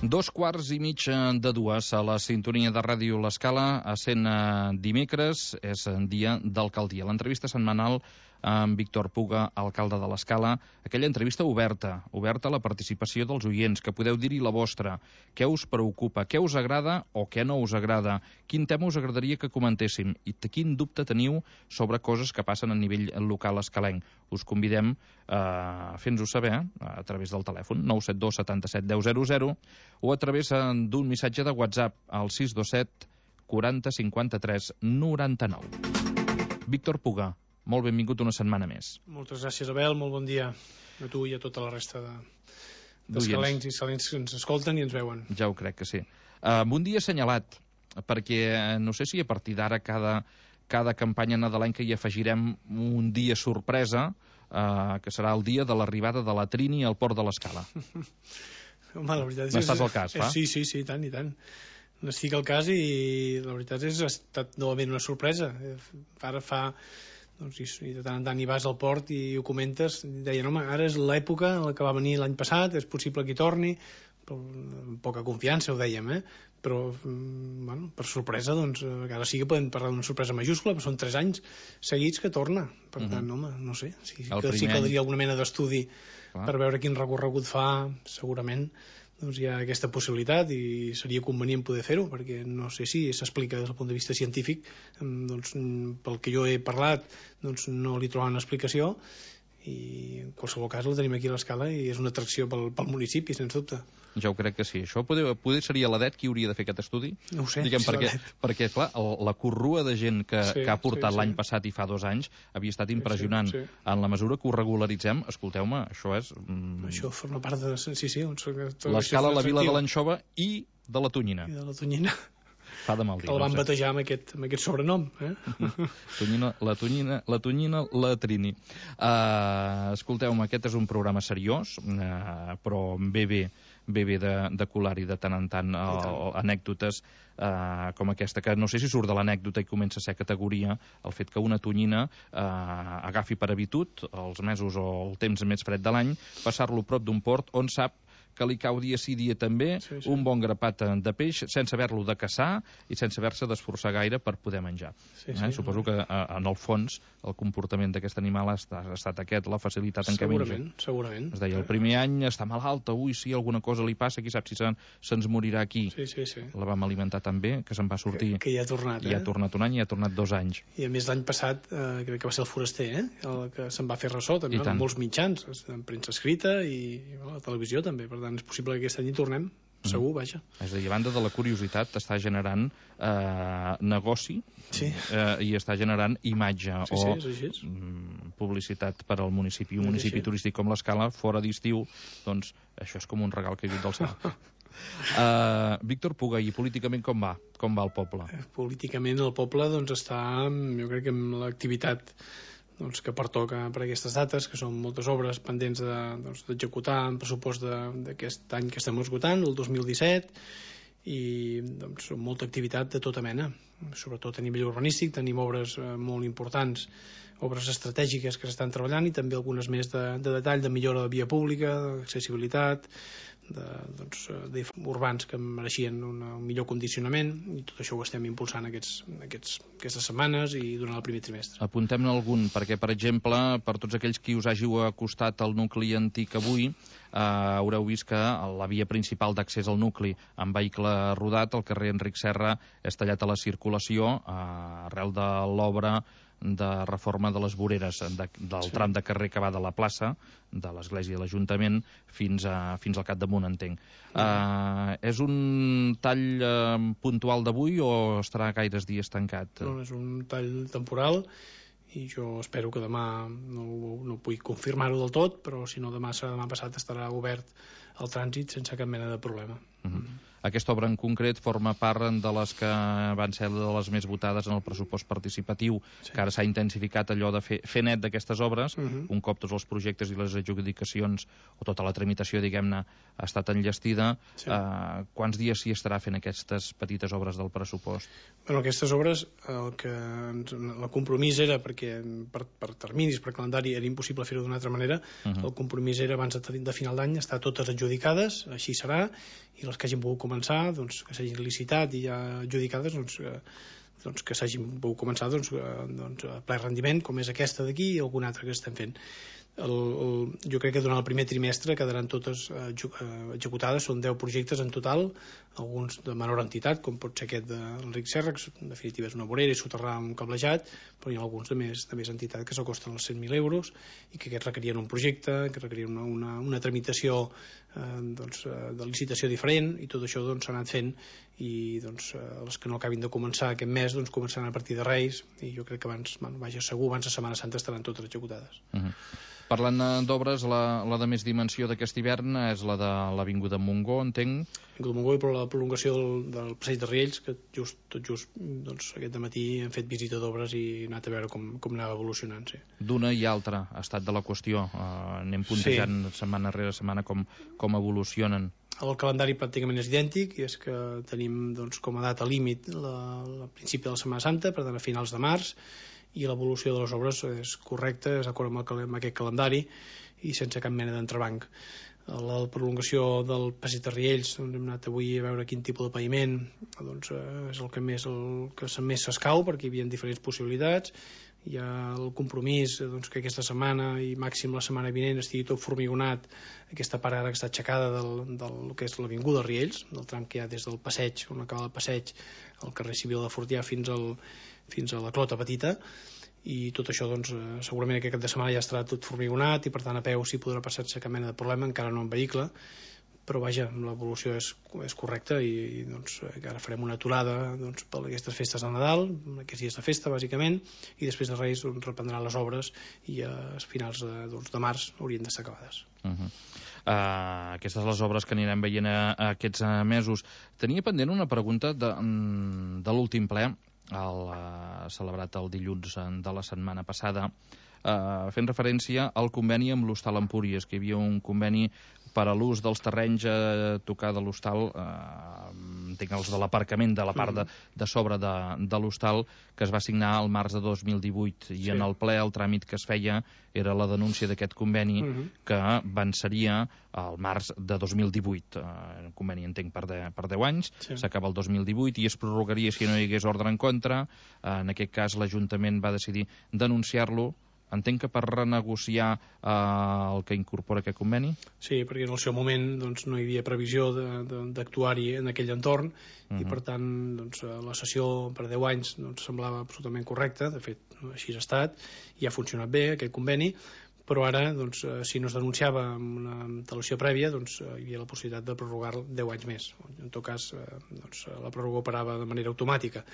2:15 a la sintonia de Ràdio L'Escala, essent dimecres, és dia d'alcaldia. L'entrevista setmanal amb Víctor Puga, alcalde de l'Escala, aquella entrevista oberta a la participació dels oients, que podeu dir-hi la vostra, què us preocupa, què us agrada o què no us agrada, quin tema us agradaria que comentéssim i quin dubte teniu sobre coses que passen a nivell local escalenc. Us convidem a fer-nos-ho saber a través del telèfon 972 77 10 00 o a través d'un missatge de WhatsApp al 627 40 53 99. Víctor Puga, molt benvingut una setmana més. Moltes gràcies, Abel, molt bon dia a tu i a tota la resta d'escalencs i escalencs que ens escolten i ens veuen. Ja ho crec que sí. Un dia assenyalat, perquè no sé si a partir d'ara cada campanya nadalenca hi afegirem un dia sorpresa, que serà el dia de l'arribada de la Trini al port de l'Escala. Home, la veritat és... M'estàs al cas, va? Sí, tant i tant. N'estic al cas i la veritat és que ha estat novament una sorpresa. Ara fa... Doncs, i de tant en tant hi vas al port i ho comentes, deien, home, ara és l'època en la que va venir l'any passat, és possible que hi torni, però amb poca confiança ho dèiem, però bueno, per sorpresa, doncs ara sí que podem parlar d'una sorpresa majúscula, però són 3 anys seguits que torna, per tant, home, no sé, sí caldria alguna mena d'estudi per veure quin recorregut fa, segurament doncs hi ha aquesta possibilitat i seria convenient poder fer-ho, perquè no sé si s'explica des del punt de vista científic, doncs pel que jo he parlat doncs no li trobaven explicació i en qualsevol cas el tenim aquí a l'Escala i és una atracció pel municipi, sens dubte. Jo crec que sí. Això poder seria l'EDET qui hauria de fer aquest estudi? No ho sé, diguem, perquè clar, la corrua de gent que ha portat l'any passat i fa 2 anys havia estat impressionant. En la mesura que ho regularitzem, escolteu-me, això és... Això forma part de... Sí. L'Escala, la vila de l'Anxova i de la Tonyina. I de la Tonyina. Fa de mal dir. El van batejar amb aquest sobrenom. La Tonyina, la Trini. Escolteu-me, aquest és un programa seriós, però bé de colar-hi de tant en tant anècdotes com aquesta, que no sé si surt de l'anècdota i comença a ser categoria el fet que una tonyina agafi per habitud els mesos o el temps més fred de l'any passar-lo prop d'un port on sap que li cau dia sí dia també un bon grapat de peix sense haver-lo de caçar i sense haver-se d'esforçar gaire per poder menjar. Suposo que en el fons el comportament d'aquest animal ha estat aquest, la facilitat en què menja. Segurament. Es deia, el primer any està malalt, si alguna cosa li passa, qui sap si se'ns morirà aquí. La vam alimentar tan bé que se'n va sortir. Que ja ha tornat. I ha tornat un any i ha tornat 2 anys. I a més l'any passat, crec que va ser el Foraster, el que se'n va fer ressò, també, amb molts mitjans, en premsa escrita i a la televisió també, per tant és possible que aquest any hi tornem, segur, vaja. És a dir, a banda de la curiositat està generant negoci i està generant imatge o publicitat per al municipi. Un municipi turístic com l'Escala, fora d'estiu, doncs això és com un regal caigut del cel. Víctor Puga, i políticament com va? Com va el poble? Políticament el poble doncs està, jo crec que amb l'activitat que pertoca per aquestes dates, que són moltes obres pendents d'executar en pressupost d'aquest any que estem esgotant, el 2017, i molta activitat de tota mena, sobretot a nivell urbanístic. Tenim obres molt importants, obres estratègiques que s'estan treballant i també algunes més de detall, de millora de via pública, d'accessibilitat, urbans que mereixien un millor condicionament, i tot això ho estem impulsant aquestes setmanes i durant el primer trimestre. Apuntem-ne algun, perquè per exemple per tots aquells qui us hàgiu acostat al nucli antic avui, haureu vist que la via principal d'accés al nucli amb vehicle rodat, el carrer Enric Serra, és tallat a la circulació arrel de l'obra de reforma de les voreres del tram de carrer que va de la plaça de l'església de l'Ajuntament fins al capdamunt, entenc. És un tall puntual d'avui o estarà gaires dies tancat? No, és un tall temporal i jo espero que demà no puc confirmar-ho del tot, però si no demà passat estarà obert el trànsit sense cap mena de problema. Aquesta obra en concret forma part de les que van ser de les més votades en el pressupost participatiu, que ara s'ha intensificat allò de fer net d'aquestes obres, un cop tots els projectes i les adjudicacions o tota la tramitació, diguem-ne, ha estat enllestida. Quants dies s'hi estarà fent aquestes petites obres del pressupost? Bueno, aquestes obres, el compromís era, perquè per terminis, per calendari, era impossible fer-ho d'una altra manera, el compromís era abans de final d'any estar totes adjudicades, així serà, i les que hagin pogut començar, doncs, que s'hagin licitat i ja adjudicades, doncs que s'hagin pogut començar a ple rendiment, com és aquesta d'aquí i alguna altra que estem fent. Jo crec que durant el primer trimestre quedaran totes executades. Són 10 projectes en total, alguns de menor entitat, com pot ser aquest de l'Enric Serra, que en definitiva és una vorera i soterrar un cablejat, però hi ha alguns de més entitat que s'acosten als 100.000 euros i que aquests requerien un projecte, que requerien una tramitació de licitació diferent, i tot això s'ha anat fent, i les que no acabin de començar aquest mes començaran a partir de Reis, i jo crec que abans de Setmana Santa estaran totes executades. Parlant d'obres, la de més dimensió d'aquest hivern és la de l'Avinguda Montgó, entenc. L'Avinguda Montgó i per la prolongació del passeig de Riells, que tot just aquest dematí hem fet visita d'obres i he anat a veure com anava evolucionant. Sí. D'una i altra, estat de la qüestió. Anem puntejant setmana rere setmana com evolucionen. El calendari pràcticament és idèntic, i és que tenim com a data límit el principi de la Setmana Santa, per tant a finals de març, i l'evolució de les obres és correcta, és d'acord amb aquest calendari i sense cap mena d'entrebanc. La prolongació del passeig de Riells, hem anat avui a veure quin tipus de paviment és el que més s'escau, perquè hi havia diferents possibilitats. Hi ha el compromís que aquesta setmana i màxim la setmana vinent estigui tot formigonat, aquesta part ara que està aixecada del que és l'Avinguda Riells, del tram que hi ha des del passeig, on acaba el passeig, al carrer Civil de Fortià fins a la Clota Petita, i tot això segurament aquest cap de setmana ja estarà tot formigonat i per tant a peu s'hi podrà passar sense cap mena de problema, encara no en vehicle, però vaja, l'evolució és correcta, i ara farem una aturada per aquestes festes de Nadal, aquests dies de festa bàsicament, i després de Reis reprendran les obres i a finals de març haurien d'estar acabades. Aquestes les obres que anirem veient aquests mesos. Tenia pendent una pregunta de l'últim ple, celebrat el dilluns de la setmana passada, fent referència al conveni amb l'Hostal Empúries, que hi havia un conveni per a l'ús dels terrenys a tocar de l'hostal, entenc els de l'aparcament de la part de sobre de l'hostal, que es va signar al març de 2018, i en el ple el tràmit que es feia era la denúncia d'aquest conveni que venceria al març de 2018. El conveni, entenc, per 10 anys, s'acaba el 2018 i es prorrogaria si no hi hagués ordre en contra. En aquest cas l'Ajuntament va decidir denunciar-lo. Entenc que per renegociar el que incorpora aquest conveni? Sí, perquè en el seu moment no hi havia previsió d'actuar-hi en aquell entorn, i per tant la sessió per 10 anys semblava absolutament correcta. De fet, així ha estat i ha funcionat bé aquest conveni, però ara si no es denunciava amb una antelació prèvia hi havia la possibilitat de prorrogar 10 anys més. En tot cas la pròrroga operava de manera automàtica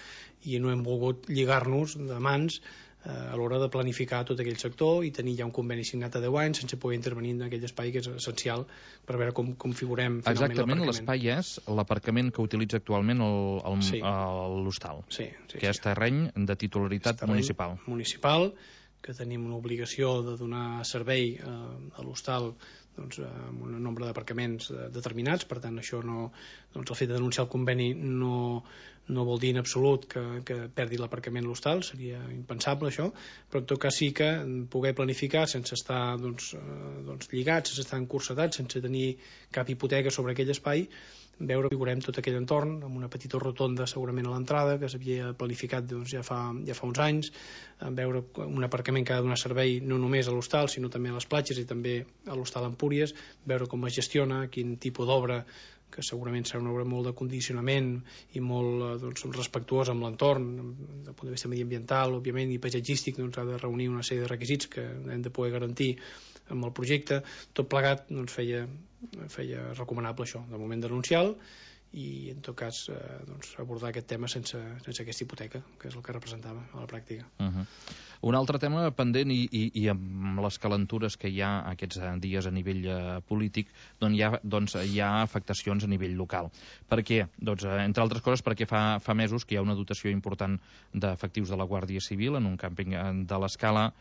i no hem volgut lligar-nos de mans a l'hora de planificar tot aquell sector i tenir ja un conveni signat a 10 anys sense poder intervenir en aquell espai que és essencial per veure com configurem finalment l'aparcament. Exactament, l'espai és l'aparcament que utilitza actualment l'hostal, que és terreny de titularitat municipal. Que tenim una obligació de donar servei a l'hostal amb un nombre d'aparcaments determinats. Per tant, això el fet de denunciar el conveni no vol dir en absolut que perdi l'aparcament l'hostal, seria impensable això, però en tot cas sí que poder planificar sense estar lligats, sense estar encursetats, sense tenir cap hipoteca sobre aquell espai, veure que veurem tot aquell entorn amb una petita rotonda segurament a l'entrada que s'havia planificat ja fa uns anys, veure un aparcament que ha de donar servei no només a l'hostal sinó també a les platges i també a l'hostal Empúries, veure com es gestiona, quin tipus d'obra, que segurament serà una obra molt de condicionament i molt respectuosa amb l'entorn des del punt de vista mediambiental, òbviament, i paisatgístic, ha de reunir una sèrie de requisits que hem de poder garantir amb el projecte. Tot plegat feia recomanable això, de moment denunciar-lo i en tot cas abordar aquest tema sense aquesta hipoteca, que és el que representava a la pràctica. Un altre tema pendent i amb les calentures que hi ha aquests dies a nivell polític, hi ha afectacions a nivell local. Per què? Entre altres coses perquè fa mesos que hi ha una dotació important d'efectius de la Guàrdia Civil en un càmping de l'Escala,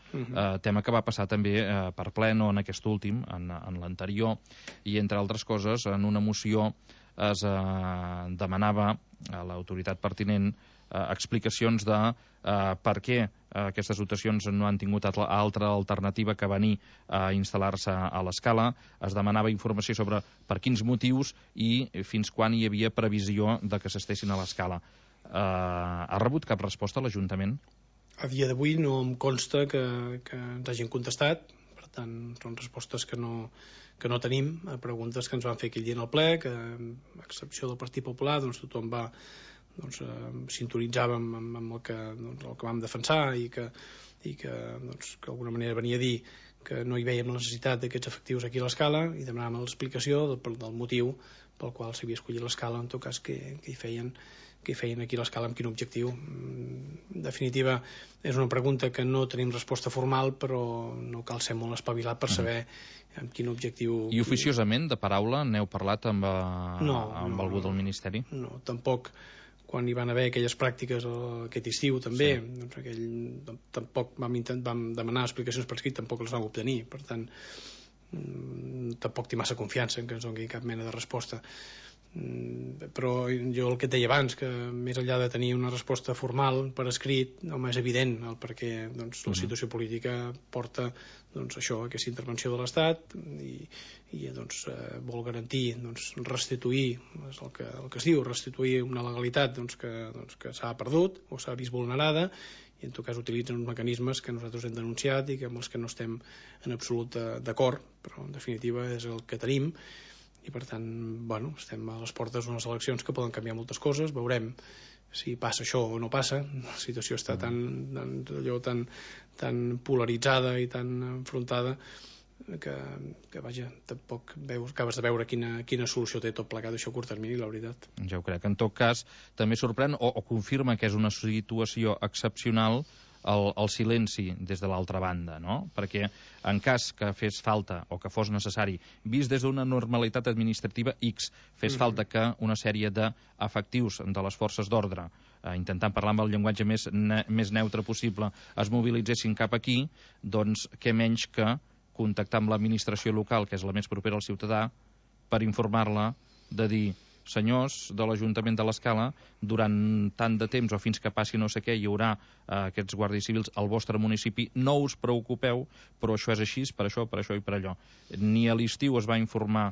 tema que va passar també per ple, no en aquest últim, en l'anterior, i entre altres coses en una moció es demanava a l'autoritat pertinent explicacions de per què aquestes dotacions no han tingut altra alternativa que venir a instal·lar-se a l'Escala. Es demanava informació sobre per quins motius i fins quan hi havia previsió de que s'estessin a l'Escala. Ha rebut cap resposta a l'Ajuntament? A dia d'avui no em consta que ens hagin contestat, per tant són respostes que no tenim a preguntes que ens van fer aquell dia en el ple, que a excepció del Partit Popular tothom va sintonitzàvem amb el que vam defensar i que d'alguna manera venia a dir que no hi veiem la necessitat d'aquests efectius aquí a l'Escala i demanàvem l'explicació del motiu pel qual s'havia escollit l'Escala, en tot cas que hi feien aquí a l'Escala, amb quin objectiu. En definitiva, és una pregunta que no tenim resposta formal, però no cal ser molt espavilat per saber amb quin objectiu... I oficiosament, de paraula, n'heu parlat amb algú del Ministeri? No, tampoc. Quan hi van haver aquelles pràctiques aquest estiu també, tampoc vam demanar explicacions per escrit, tampoc les vam obtenir, per tant tampoc té massa confiança en que ens doni cap mena de resposta. Però jo el que et deia abans, que més enllà de tenir una resposta formal per escrit, home, és evident el perquè la situació política porta això, aquesta intervenció de l'Estat i vol garantir restituir, és el que es diu, restituir una legalitat que s'ha perdut o s'ha vist vulnerada, i en tot cas utilitzen uns mecanismes que nosaltres hem denunciat i amb els que no estem en absolut d'acord, però en definitiva és el que tenim. I per tant, estem a les portes d'unes eleccions que poden canviar moltes coses, veurem si passa això o no passa. La situació està tan polaritzada i tan enfrontada que vaja, tampoc acabes de veure quina solució té tot plegat això a curt termini, la veritat. Ja ho crec. En tot cas, també sorprèn o confirma que és una situació excepcional el silenci des de l'altra banda, no? Perquè en cas que fes falta o que fos necessari, vist des d'una normalitat administrativa X, fes falta que una sèrie d'efectius de les forces d'ordre, intentant parlar amb el llenguatge més neutre possible, es mobilitzessin cap aquí, doncs què menys que contactar amb l'administració local, que és la més propera al ciutadà, per informar-la de dir: senyors de l'Ajuntament de l'Escala, durant tant de temps o fins que passi no sé què hi haurà aquests guàrdies civils al vostre municipi, no us preocupeu, però això és així, per això i per allò. Ni a l'estiu es va informar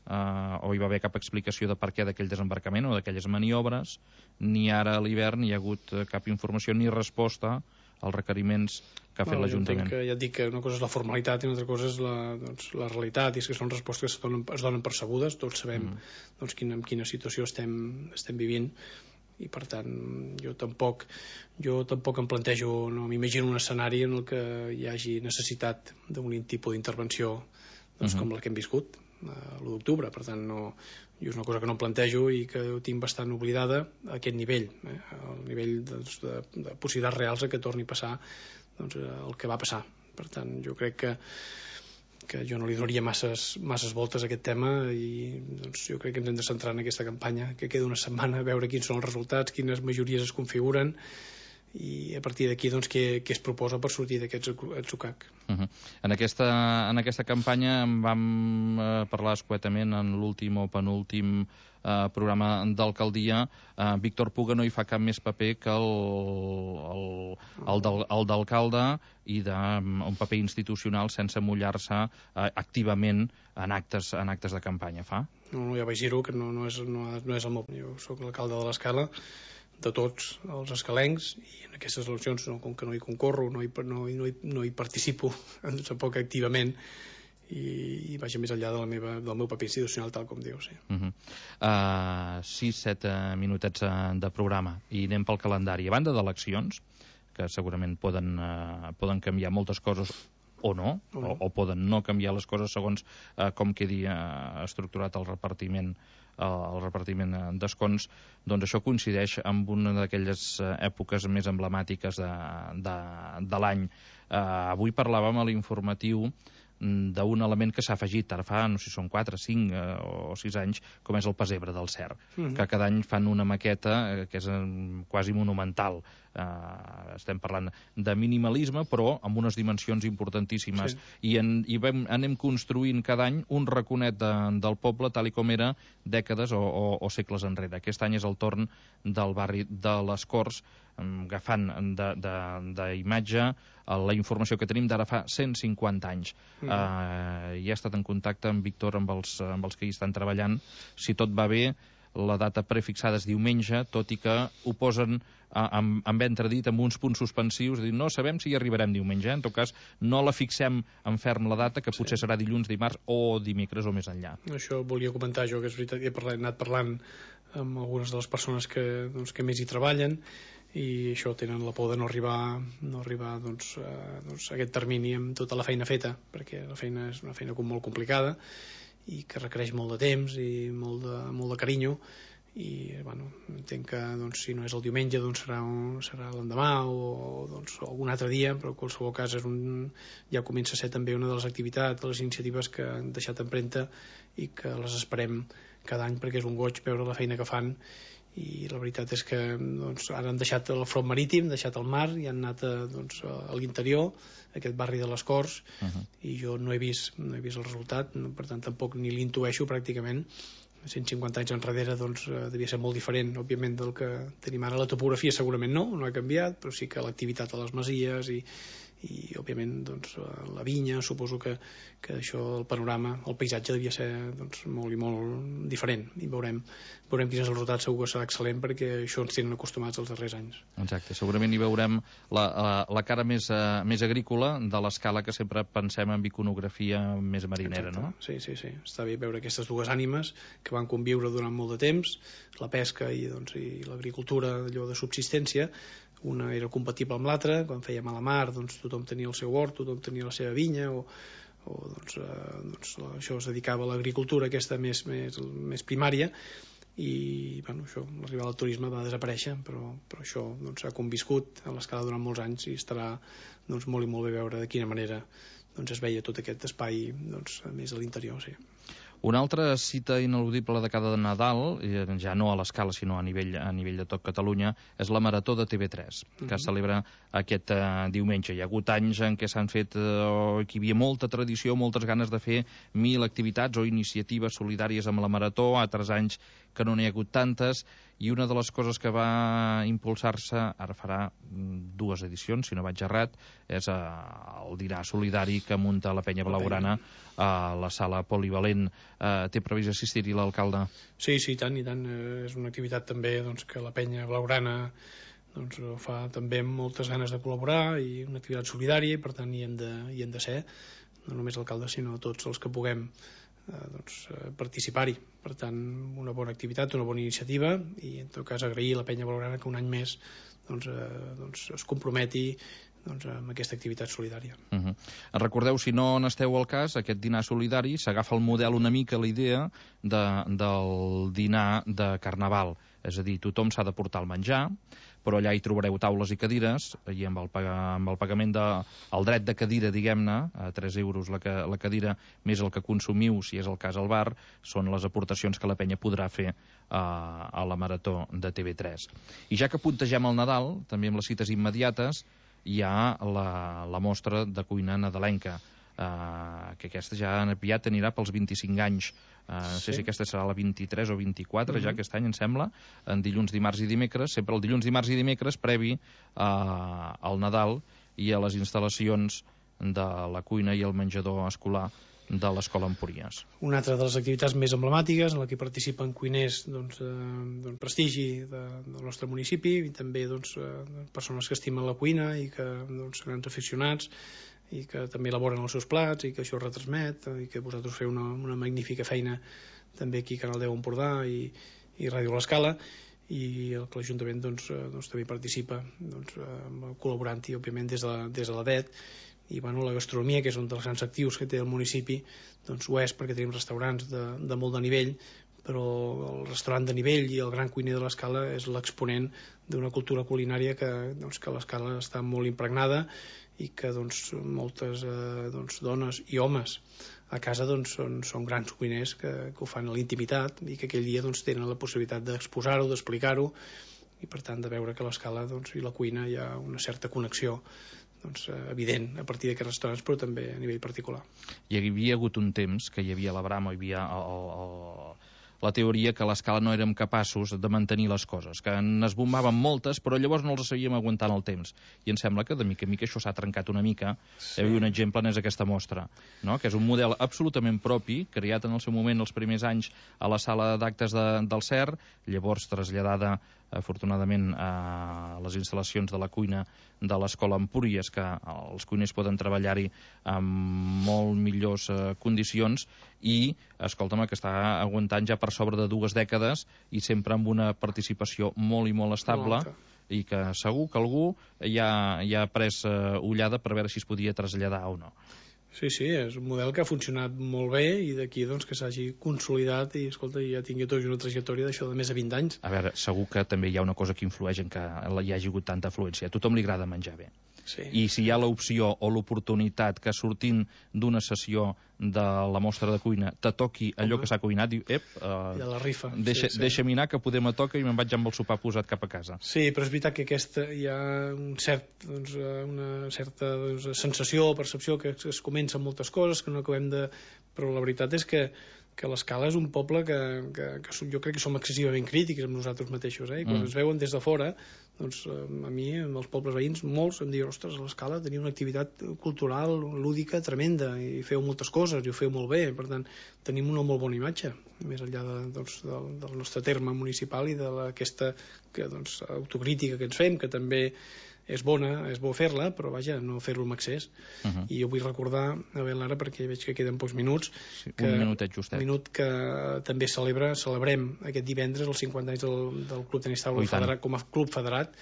o hi va haver cap explicació de per què d'aquell desembarcament o d'aquelles maniobres, ni ara a l'hivern hi ha hagut cap informació ni resposta als requeriments que ha fet l'Ajuntament. Ja et dic que una cosa és la formalitat i una altra cosa és la realitat, i és que són respostes que es donen percebudes, tots sabem en quina situació estem vivint, i per tant jo tampoc em plantejo, no m'imagino un escenari en el que hi hagi necessitat d'un tipus d'intervenció com la que hem viscut l'1 d'octubre, per tant jo és una cosa que no em plantejo i que tinc bastant oblidada a aquest nivell, al nivell de possibilitats reals que torni a passar el que va passar. Per tant, jo crec que jo no li donaria masses voltes a aquest tema, i jo crec que ens hem de centrar en aquesta campanya, que queda una setmana, a veure quins són els resultats, quines majories es configuren, i a partir d'aquí què es proposa per sortir d'aquest atzucac. En aquesta campanya en vam parlar escuetament en l'últim o penúltim programa d'alcaldia. Víctor Puga no hi fa cap més paper que el d'alcalde i d'un paper institucional sense mullar-se activament en actes de campanya. Fa? No, ja vaig dir-ho, que no és el meu... Jo soc l'alcalde de l'Escala, de tots els escalencs, i en aquestes eleccions, com que no hi concorro, no hi participo tampoc activament, i vaja més enllà del meu paper institucional, tal com dius. 6-7 minutets de programa i anem pel calendari. A banda d'eleccions, que segurament poden canviar moltes coses o no, o poden no canviar les coses segons com quedi estructurat el repartiment d'escons, doncs això coincideix amb una d'aquelles èpoques més emblemàtiques de l'any. Avui parlàvem a l'informatiu d'un element que s'ha afegit ara fa, no sé si són 4, 5 o 6 anys, com és el pessebre del Cer, que cada any fan una maqueta que és quasi monumental. Estem parlant de minimalisme, però amb unes dimensions importantíssimes. I anem construint cada any un raconet del poble tal i com era dècades o segles enrere. Aquest any és el torn del barri de les Corts, agafant d'imatge la informació que tenim d'ara fa 150 anys. Ja he estat en contacte amb Víctor, amb els que hi estan treballant. Si tot va bé, la data prefixada és diumenge, tot i que ho posen amb entredit, amb uns punts suspensius, no sabem si hi arribarem diumenge, en tot cas no la fixem en ferm la data, que potser serà dilluns, dimarts o dimecres o més enllà. Això volia comentar jo, que és veritat, he anat parlant amb algunes de les persones que més hi treballen, i això, tenen la por de no arribar a aquest termini amb tota la feina feta, perquè la feina és una feina molt complicada i que requereix molt de temps i molt de carinyo, i entenc que si no és el diumenge serà l'endemà o algun altre dia, però en qualsevol cas ja comença a ser també una de les activitats, de les iniciatives que han deixat empremta i que les esperem cada any, perquè és un goig veure la feina que fan. I la veritat és que ara han deixat el front marítim, han deixat el mar i han anat a l'interior, aquest barri de les Corts, i jo no he vist el resultat, per tant tampoc ni l'intueixo pràcticament. 150 anys enrere devia ser molt diferent, òbviament, del que tenim ara. La topografia segurament no ha canviat, però sí que l'activitat a les masies i òbviament la vinya, suposo que això, el panorama, el paisatge devia ser molt i molt diferent, i veurem quin és el resultat. Segur que serà excel·lent, perquè això ens tenen acostumats els darrers anys. Exacte, segurament hi veurem la cara més agrícola de l'escala, que sempre pensem en iconografia més marinera. Exacte. Sí, està bé veure aquestes dues ànimes que van conviure durant molt de temps, la pesca i l'agricultura, allò de subsistència. Una era compatible amb l'altra. Quan fèiem a la mar, tothom tenia el seu hort, tothom tenia la seva vinya, això es dedicava a l'agricultura aquesta més primària, i això, l'arribada del turisme va desaparèixer, però això ha conviscut a l'escala durant molts anys, i estarà molt i molt bé veure de quina manera es veia tot aquest espai més a l'interior. Sí. Una altra cita ineludible de cada Nadal, ja no a l'escala sinó a nivell de tot Catalunya, és la Marató de TV3, que es celebra aquest diumenge. Hi ha hagut anys en què s'han fet, que hi havia molta tradició, moltes ganes de fer 1000 activitats o iniciatives solidàries amb la Marató, altres anys que no n'hi ha hagut tantes, i una de les coses que va impulsar-se, ara farà 2 edicions, si no vaig errat, és el dinar solidari que munta la Penya Blaugrana a la sala polivalent. Té previst assistir-hi l'alcalde? Sí, i tant. És una activitat també que la Penya Blaugrana fa també amb moltes ganes de col·laborar, i una activitat solidària, i per tant hi hem de ser, no només l'alcalde sinó tots els que puguem participar-hi. Per tant, una bona activitat, una bona iniciativa, i en tot cas agrair a la Penya Blaugrana que un any més es comprometi amb aquesta activitat solidària. Recordeu, si no n'esteu al cas, aquest dinar solidari s'agafa el model, una mica la idea del dinar de Carnaval, és a dir, tothom s'ha de portar el menjar, però allà hi trobareu taules i cadires, i amb el pagament del dret de cadira, diguem-ne, a 3 euros la cadira, més el que consumiu, si és el cas al bar, són les aportacions que la penya podrà fer a la Marató de TV3. I ja que puntegem el Nadal, també amb les cites immediates, hi ha la mostra de cuina nadalenca, que aquesta ja aviat anirà pels 25 anys. No sé si aquesta serà la 23 o 24, ja aquest any, em sembla, en dilluns, dimarts i dimecres, sempre el dilluns, dimarts i dimecres, previ al Nadal i a les instal·lacions de la cuina i el menjador escolar de l'Escola Empúries. Una altra de les activitats més emblemàtiques en la que participen cuiners prestigi del nostre municipi, i també persones que estimen la cuina i que grans aficionats, i que també elaboren els seus plats, i que això retransmet, i que vosaltres feu una magnífica feina també aquí a Canal 10 Empordà i Ràdio l'Escala, i que l'Ajuntament també participa col·laborant-hi, òbviament, des de la DET. I la gastronomia, que és un dels grans actius que té el municipi, ho és, perquè tenim restaurants de molt de nivell, però el restaurant de nivell i el gran cuiner de l'Escala és l'exponent d'una cultura culinària que l'Escala està molt impregnada i que moltes dones i homes a casa són grans cuiners que ho fan a la intimitat i que aquell dia tenen la possibilitat d'exposar-ho, d'explicar-ho, i per tant de veure que a l'Escala i la cuina hi ha una certa connexió evident a partir d'aquests restaurants, però també a nivell particular. Hi havia hagut un temps que hi havia la brama, hi havia la teoria que a l'Escala no érem capaços de mantenir les coses, que n'esbombaven moltes, però llavors no les sabíem aguantar en el temps. I em sembla que de mica en mica això s'ha trencat una mica. Sí. Un exemple n'és aquesta mostra, no? Que és un model absolutament propi, creat en el seu moment els primers anys a la sala d'actes del CER, llavors traslladada afortunadament a les instal·lacions de la cuina de l'Escola Empúries, que els cuiners poden treballar-hi amb molt millors condicions, i, escolta'm, que està aguantant ja per sobre de 2 dècades i sempre amb una participació molt i molt estable, i que segur que algú ja ha pres ullada per veure si es podia traslladar o no. Sí, és un model que ha funcionat molt bé i d'aquí que s'hagi consolidat i, escolta, ja tingui tot una trajectòria d'això de més de 20 anys. A veure, segur que també hi ha una cosa que influeix en que hi hagi hagut tanta afluència. A tothom li agrada menjar bé. Sí. I si hi ha l'opció o l'oportunitat que sortint d'una sessió de la mostra de cuina te toqui allò que s'ha cuinat, diu, de la rifa. Deixa'm anar, que poder me toca i me'n vaig amb el sopar posat cap a casa. Sí, però és veritat que hi ha una certa sensació o percepció que es comencen moltes coses, que no acabem de... Però la veritat és que l'Escala és un poble que jo crec que som excessivament crítics amb nosaltres mateixos, i quan ens veuen des de fora, a mi, amb els pobles veïns, molts em diuen, ostres, a l'Escala teniu una activitat cultural, lúdica, tremenda, i feu moltes coses, i ho feu molt bé, per tant, tenim una molt bona imatge, més enllà del nostre terme municipal i d'aquesta autocrítica que ens fem, que també és bona, és bo fer-la, però vaja, no fer-lo amb excés. I jo vull recordar, a veure, Lara, perquè veig que queden pocs minuts, un minutet justet. Un minut que també celebrem aquest divendres els 50 anys del Club Tenis Taula Federat, com a club federat,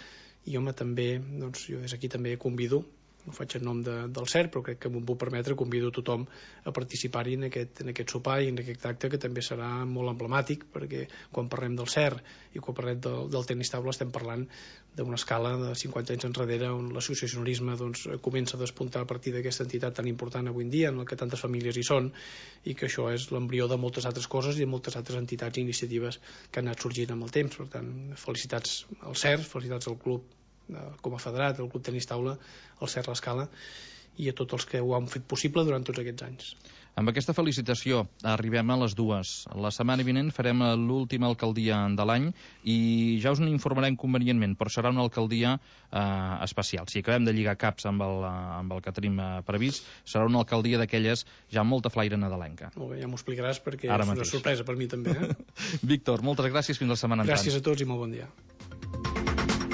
i home, també, jo des d'aquí també convido, ho faig en nom del CER, però crec que m'ho puc permetre, convido tothom a participar-hi en aquest sopar i en aquest acte, que també serà molt emblemàtic, perquè quan parlem del CER i quan parlem del tenis taula estem parlant d'una escala de 50 anys enrere on l'associacionisme comença a despuntar a partir d'aquesta entitat tan important avui en dia, en la que tantes famílies hi són, i que això és l'embrió de moltes altres coses i de moltes altres entitats i iniciatives que han anat sorgint amb el temps. Per tant, felicitats al CER, felicitats al club com a federat, el Club Tenis Taula, el CER l'Escala, i a tots els que ho han fet possible durant tots aquests anys. Amb aquesta felicitació arribem a les 2. La setmana vinent farem l'última alcaldia de l'any i ja us n'informarem convenientment, però serà una alcaldia especial. Si acabem de lligar caps amb el que tenim previst, serà una alcaldia d'aquelles ja amb molta flaire nadalenca. Molt bé, ja m'ho explicaràs perquè és una sorpresa per mi també. Víctor, moltes gràcies, fins la setmana entrant. Gràcies a tots i molt bon dia.